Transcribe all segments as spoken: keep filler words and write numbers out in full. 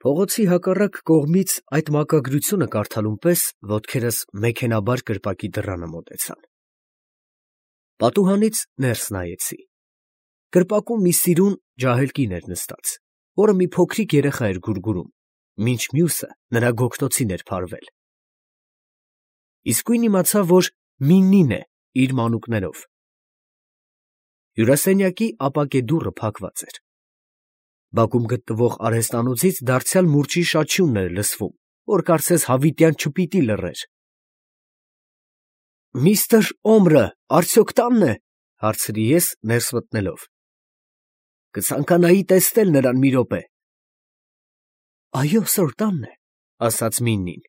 Փողոցի հակառակ կողմից այդ մակագրությունը կարդալուն պես ոտքերս մեքենաբար կրպակի դռանը մոտեցան։ Պատուհանից ներս նայեցի։ Կրպակում մի սիրուն ջահել կին էր նստած, որը մի փոքրիկ երեխա էր գուրգուրում, մինչ մյուսը նրա գոգնոցին էր փարվել։ Իսկույն իմացա, որ Միննին է իր մանուկներով։ Հյուրասենյակի ապակե դուռը փակված էր։ Բակում գտնվող արհեստանոցից դարձյալ մուրճի շաչյունն էր լսվում, որ կարծես հավիտյան չպիտի լռեր։ «Միստր Օմրը արդյոք տանն է?» հարցրի ես, ներս մտնելով։ «Կցանկանայի տեսնել նրան մի րոպե»։ «Այո, սըր, տանն է», ասաց Միննին։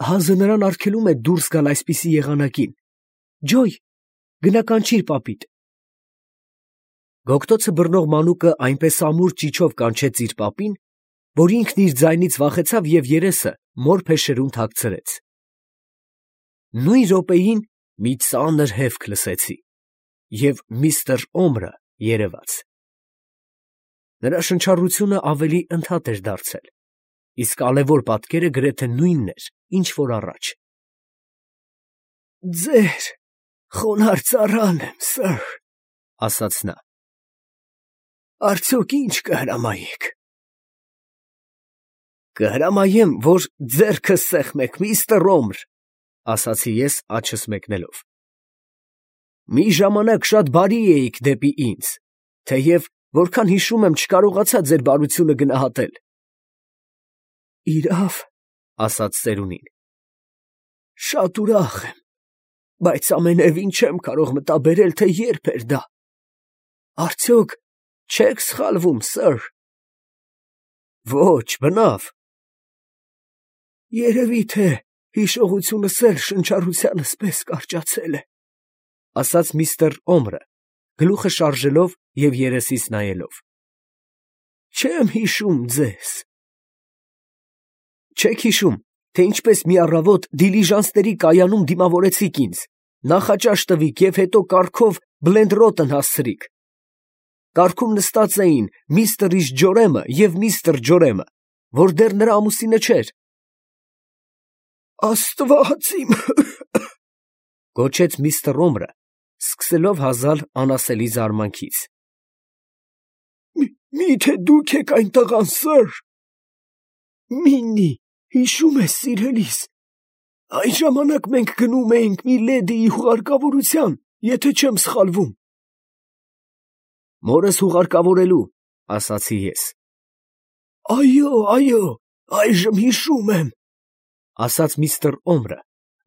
«Հազը նրան արգելում է դուրս գալ այսպիսի եղանակին։ Ջոյ, գնա կանչիր պապիդ»։ Գոգտոցը բռնող մանուկը այնպես ամուր ճիչով կանչեց իր պապին, որ ինքն իր ձայնից վախեցավ և երեսը մոր փեշերում թաքցրեց։ Նույն րոպեին մի ծանր հևք լսեցի, և միստր Օմրը երևաց։ Նրա շնչառությունը ավելի ընդհատ էր դարձել, իսկ ալևոր պատկերը գրեթե նույնն էր, ինչ որ առաջ։ «Ձեր խոնարհ ծառան եմ, սըր», ասաց նա։ «Արդյոք ինչ կհրամայեք»։ «Կհրամայեմ, որ ձեռքս սեղմեք, միստր Օմր», ասացի ես աջս մեկնելով։ «Մի ժամանակ շատ բարի էիք դեպի ինձ, թեև, որքան հիշում եմ, չկարողացա ձեր բարությունը գնահատել»։ «Իրավ», ասաց ծերունին, «շատ ուրախ եմ, բայց ամենևին չեմ կարող մտաբերել, թե երբ էր դա։ Արդյոք չեք սխալվում, սըր»։ «Ոչ, բնավ»։ «Երևի թե հիշողությունս էլ շնչառությանս պես կարճացել է», ասաց միստր Օմրը, գլուխը շարժելով և երեսիս նայելով։ «Չեմ հիշում ձեզ»։ «Չեք հիշում, թե ինչպես մի առավոտ դիլիժանսների կայանում դիմավորեցիք ինձ, նախաճաշ տվիք և հետո կառքով Բլենդրոտն հասցրիք։ Կառքում նստած էին միստր Ջորեմը և միստր Ջորեմը, որ դեռ նրա ամուսինը չէր»։ «Աստված իմ», գոչեց միստր Օմրը, սկսելով հազալ անասելի զարմանքից։ «Մի՞թե դուք եք այն տղան, սըր։ Միննի, հիշո՞ւմ ես, սիրելիս, այն ժամանակ մենք գնում էինք մի լեդիի հուղարկավորության, եթե չեմ սխալվում»։ «Մորս հուղարկավորելու», ասացի ես։ «Այո, այո, այժմ հիշում եմ», ասաց միստր Օմրը,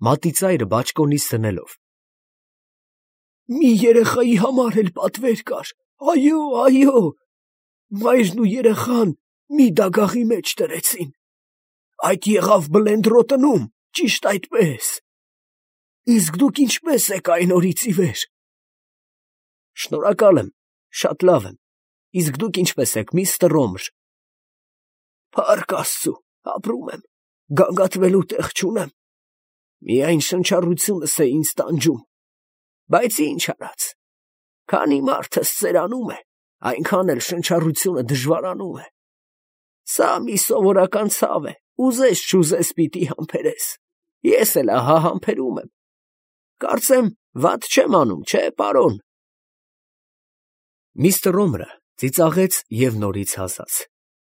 մատի ծայրը բաճկոնից դնելով։ «Մի երեխայի համար էլ պատվեր կար, այո, այո, մայրն ու երեխան մի դագաղի մեջ դրեցին։ Այդ եղավ Բլենդրոտնում, ճիշտ այդպես։ Իսկ դուք ինչպե՞ս եք այն օրից ի վեր»։ «Շնորհակալ եմ, շատ լավ եմ, իսկ դուք ինչպե՞ս եք, միստր Օմր»։ «Փառք Աստծու, ապրում եմ, գանգատվելու տեղ չունեմ, միայն շնչառությունս է ինձ տանջում, բայց ինչ արած, քանի մարդս ծերանում է, այնքան էլ շնչառությունը դժվարանում է։ Սա մի սովորական ցավ է, ուզես չուզես պիտի համբերես, ես էլ ահա համբերում եմ։ Կարծեմ, վատ չեմ անում, չէ, պարոն»։ Միստր Օմրը ծիծաղեց և նորից հազաց,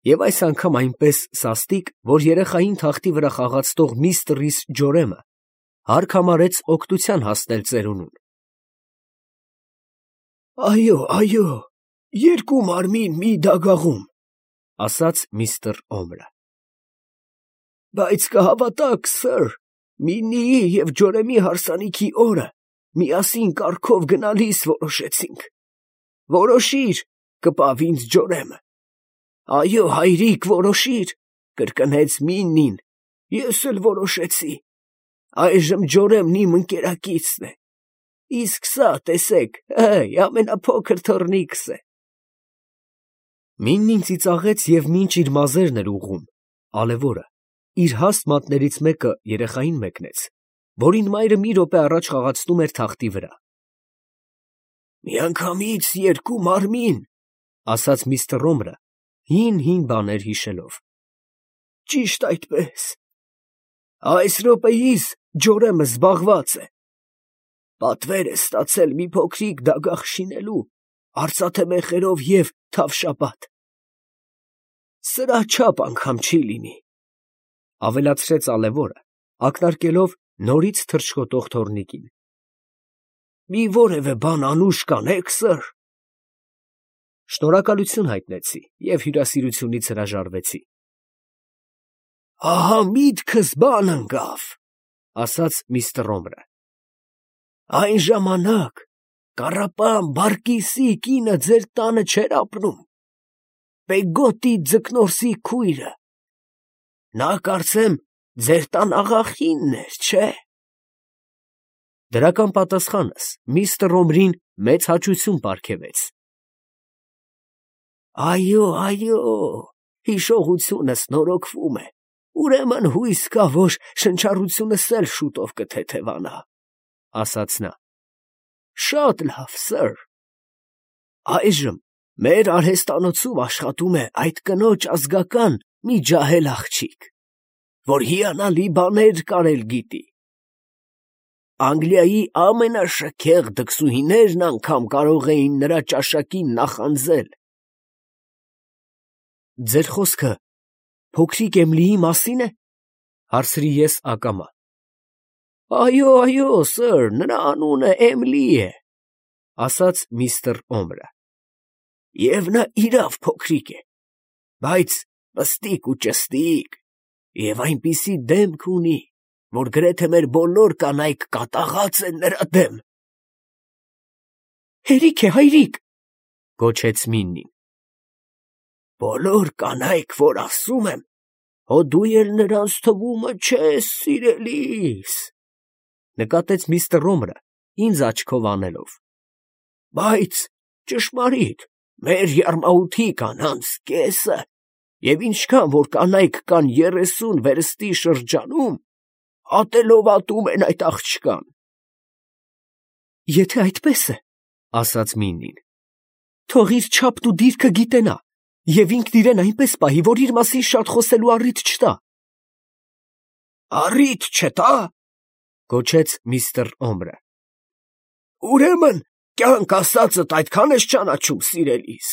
և այս անգամ այնպես սաստիկ, որ երեխային թախտի վրա խաղացնող միստր Ջորեմը հարկ համարեց օգնության հասնել ծերունուն։ «Այո, այո, երկու մարմին մի դագաղում», ասաց միստր Օմրը։ «Բայց կհավատաք, սըր, Միննիի և Ջորեմի հարսանիքի օրը միասին կառքով գնալիս որոշեցինք։ Որոշիր, կպավ ինձ Ջորեմը։ «Այո, հայրիկ, որոշիր», կրկնեց Միննին, ես էլ որոշեցի։ Այժմ Ջորեմն իմ ընկերակիցն է, իսկ սա, տեսեք, հըй, ամենափոքր թոռնիկս է։ Միննին ծիծաղեց և մինչ իր մազերն էր ուղղում, ալևորը իր հաստ մատներից մեկը երեխային մեկնեց, որին մայրը մի րոպե առաջ խաղացնում էր թախտի վրա։ «Միանգամից երկու մարմին», ասաց միստր Օմրը, հին֊հին բաներ հիշելով։ ճիշտ այդպես։ Այս րոպեիս ջորեմը զբաղված է։ Պատվեր է ստացել մի փոքրիկ դագաղ շինելու, արծաթե մեխերով և թավշապատ։ Սրա չափ անգամ չի լինի, ավելացրեց ալեվորը, ակնարկելով նորից թռչկոտող թոռնիկին։ Մի որևէ բան անուշ կանեք, սըր։ Շնորհակալություն հայտնեցի և հյուրասիրությունից հրաժարվեցի։ Ահա միտքս բան ընկավ, ասաց միստր Ռոմրը։ Այն ժամանակ Կառապան Բարկիսի կինը ձեր տանը չէր ապրում, Պեգոտի ձկնորսի քույրը։ Նա կարծեմ ձեր տան աղախինն էր, չէ՞։ Դրական պատասխանս միստր Ռոմրին մեծ հաճույքություն պարգևեց։ Այո, այո, հիշողությունս նորոգվում է, ուրեմն հույս կա, որ շնչառությունս էլ շուտով կթեթևանա, ասաց նա։ Շատ լավ, սըր։ Այժմ մեր արհեստանոցում աշխատում է այդ կնոջ ազգական մի ջահել աղջիկ, որ հիանալի բաներ կարել գիտի։ Անգլիայի ամենաշքեղ դքսուհիներն անգամ կարող էին նրա ճաշակին նախանձել։ Ձեր խոսքը փոքրիկ Էմիլիի մասին է, հարցրի ես ակամա։ Այո, այո, սըր, նրա անունը Էմիլի է, ասաց միստր Օմրը։ Եվ նա իրավ փոքրիկ է, բայց պստիկ ու ճստիկ, և այնպիսի դեմք ունի, որ գրեթե մեր բոլոր կանայք կատաղած են նրա դեմ։ Հերիք է, հայրիկ, գոչեց Միննին։ Բոլոր կանայք, որ ասում եմ, հո դու էլ նրանց թվումը չես, սիրելիս, նկատեց միստր Ռոմրը, ինձ աչքով անելով։ Բայց ճշմարիտ, մեր յարմաութի կանանց կեսը, և ինչքան որ կանայք կան երեսուն վերստի շրջանում, ատելով ատում են այդ աղջկան։ Եթե այդպես է, ասաց Միննին, թող իր չափն ու դիրքը գիտենա, և ինքն իրեն այնպես պահի, որ իր մասին շատ խոսելու առիթ չտա։ Առիթ չտա, գոչեց միստր Օմրը։ Ուրեմն կյանք ասածդ այդքան ես ճանաչում, սիրելիս։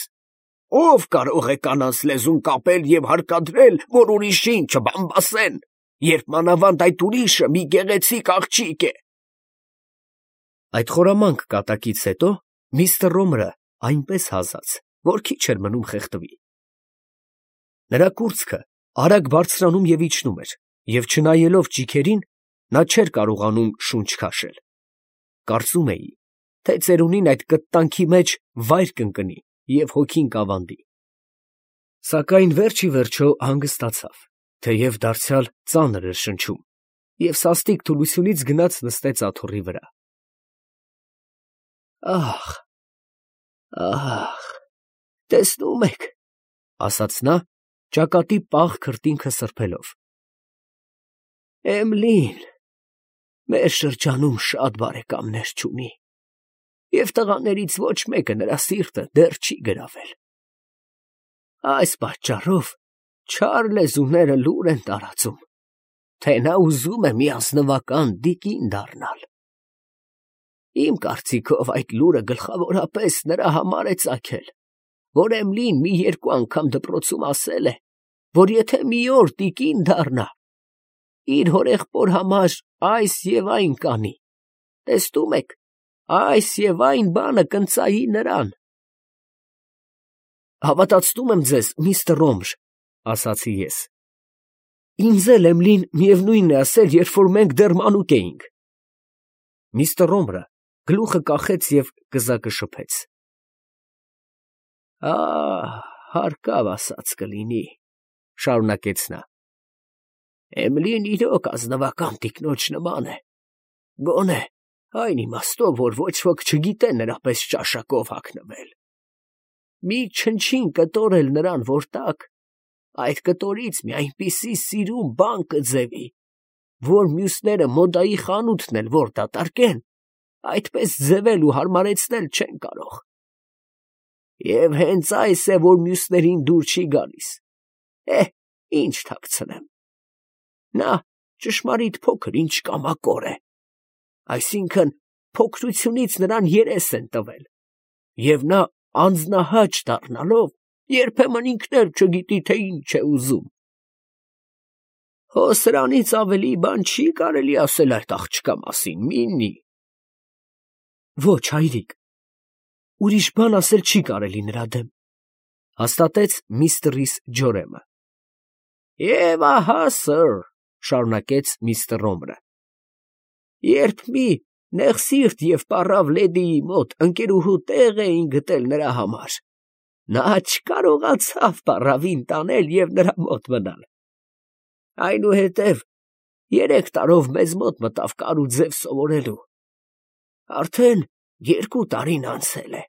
Ով կարող է կանանց լեզուն կապել և հարկադրել, որ ուրիշին չբամբասեն, երբ մանավանդ այդ ուրիշը մի գեղեցիկ աղջիկ է։ Այդ խորամանկ կատակից հետո միստր Ռոմրը այնպես հազաց, որ քիչ էր մնում խեղդվի։ Նրա կուրծքը արագ բարձրանում և իջնում էր, և չնայելով ճիգերին, նա չէր կարողանում շունչ քաշել։ Կարծում էի, թե ծերունին այդ կտտանքի մեջ վայր կընկնի և հոգին կավանդի։ Սակայն վերջ ի վերջո հանգստացավ, թեև դարձյալ ծանր էր շնչում, և սաստիկ թուլությունից գնաց նստեց աթոռի վրա։ Ահ, ահ, տեսնում եք, ասաց նա, ճակատի պաղ քրտինքը սրբելով։ Էմլին մեր շրջանում շատ բարեկամներ չունի, և տղաներից ոչ մեկը նրա սիրտը դեռ չի գրավել։ Այս պատճառով չար լեզուները լուր են տարածում, թե նա ուզում է մի ազնվական դիկին դառնալ։ Իմ կարծիքով այդ լուրը գլխավորապես նրա համար է ծագել, որ Էմլին մի երկու անգամ դպրոցում ասել է, որ եթե մի օր տիկին դառնա, իր հորեղբոր համար այս և այն կանի, տեսնում եք, այս և այն բանը կընծայի նրան։ Հավատացնում եմ ձեզ, միստր Ռոմր, ասացի ես։ Ինձ էլ Էմլին միևնույնն է ասել, երբ որ մենք դեռ մանուկ էինք։ Միստր Ռոմրը գլուխը կախեց և կզակը շփեց։ Ահ, հարկավ ասած կլինի, շարունակեց նա։ Էմլին իրոք ազնվական տիկնոջ նման է, գոնե այն իմաստով, որ ոչ ոք չգիտե նրա պես ճաշակով հագնվել։ Մի չնչին կտոր էլ նրան որ տաք, այդ կտորից մի այնպիսի սիրուն բան կձևի, որ մյուսները մոդայի խանութն էլ որ դատարկեն, այդպես ձևել ու հարմարեցնել չեն կարող։ Եվ հենց այս է, որ մյուսներին դուր չի գալիս։ Է, ինչ թաքցնեմ։ Նա ճշմարիտ փոքր ինչ կամակոր է, այսինքն փոքրությունից նրան երես են տվել, և նա անձնահաճ դառնալով երբեմն ինքն էլ չգիտի, թե ինչ է ուզում։ Հո սրանից ավելի բան չի կարելի ասել այդ աղջկա մասին, Միննի։ Ոչ, հայրիկ, ուրիշ բան ասել չի կարելի նրա դեմ, հաստատեց միստր Ռիս Ջորեմը։ Եվ ահա, սըր, շարունակեց միստր Ռոմրը, երբ մի նեղսիրտ և պառավ լեդիի մոտ ընկերուհու տեղ էին գտել նրա համար, նա չկարողացավ պառավին տանել և նրա մոտ մնալ։ Այնուհետև երեք տարով մեզ մոտ մտավ կար ու ձև սովորելու։ Արդեն երկու տարին անցել է,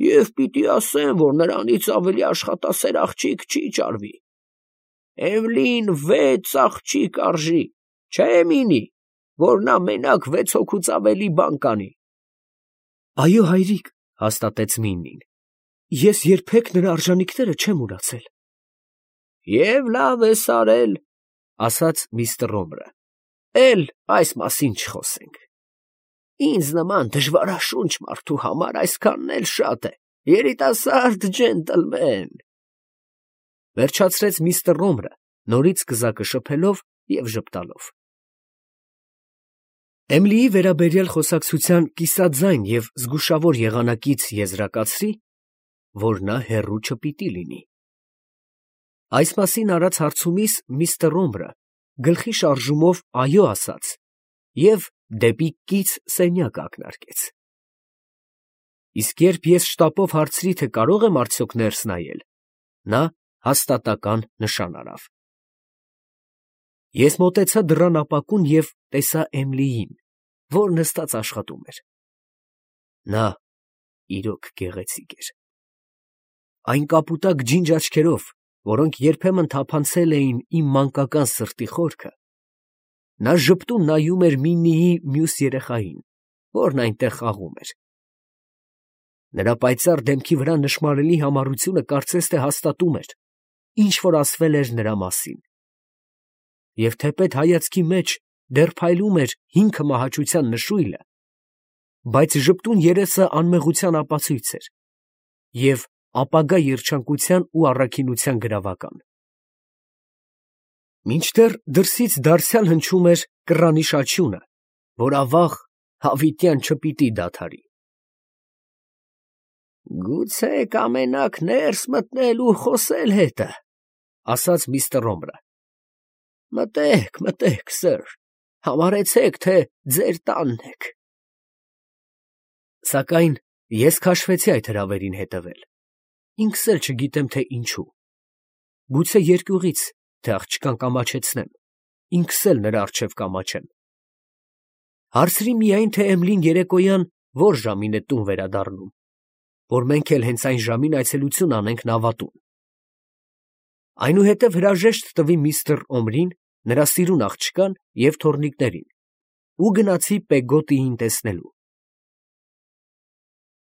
և պիտի ասեմ, որ նրանից ավելի աշխատասեր աղջիկ չի ճարվի։ Էմլին վեց աղջիկ արժի, չէ՞ Մինի, որ նա մենակ վեց հոգուց ավելի բան կանի։ Այո, հայրիկ, հաստատեց Միննին, ես երբեք նրա արժանիքները չեմ մոռացել։ Եվ լավ ես արել, ասաց միստր Ռոմրը, էլ այս մասին չխոսենք։ Ինձ նման դժվարաշունչ մարդու համար այսքանն էլ շատ է, երիտասարդ ջենտլմեն, վերջացրեց միստր Ռոմրը, նորից կզակը շփելով և ժպտալով։ Էմլիի վերաբերյալ խոսակցության կիսաձայն և զգուշավոր եղանակից եզրակացրի, որ նա հեռու չպիտի լինի։ Այս մասին արած հարցումիս միստր Ռոմրը գլխի շարժումով այո ասաց և դեպի կից սենյակ ակնարկեց։ Իսկ երբ ես շտապով հարցրի, թե կարող եմ արդյոք ներս նայել, նա հաստատական նշան արավ։ Ես մոտեցա դռան ապակուն և տեսա Էմլիին, որ նստած աշխատում էր։ Նա իրոք գեղեցիկ էր։ Այն կապուտակ ջինջ աչքերով, որոնք երբեմն թափանցել էին իմ մանկական սրտի խորքը, նա ժպտուն նայում էր Միննիի մյուս երեխային, որն այնտեղ խաղում էր։ Նրա պայծառ դեմքի վրա նշմարելի համառությունը կարծես թե հաստատում էր, ինչ որ ասվել էր նրա մասին։ Եվ թեպետ հայացքի մեջ դեռ փայլում էր հինգ մահաճության նշույլը, բայց ժպտուն երեսը անմեղության ապացույց էր և ապագա երջանկության ու առաքինության գրավական։ Մինչդեռ դրսից դարձյալ հնչում էր կռանի շաչյունը, որ ավաղ հավիտյան չպիտի դադարի։ Գուցե կամենաք ներս մտնել ու խոսել հետը, ասաց միստր Ռոմրը։ Մտեք, մտեք, սըր, համարեցեք, թե ձեր տանն եք։ Սակայն ես քաշվեցի այդ հրավերին հետևել, ինքս էլ չգիտեմ, թե ինչու։ Գուցե երկյուղից, թե աղջկան կամաչեցնեմ, ինքս էլ նրա առջև կամաչեմ։ Հարցրի միայն, թե Էմլին երեկոյան ո՞ր ժամին է տուն վերադառնում, որ մենք էլ հենց այն ժամին այցելություն անենք նավատուն։ Այնուհետև հրաժեշտ տվի միստր Օմրին, նրա սիրուն աղջկան և թոռնիկներին ու գնացի Պեգոտիին տեսնելու։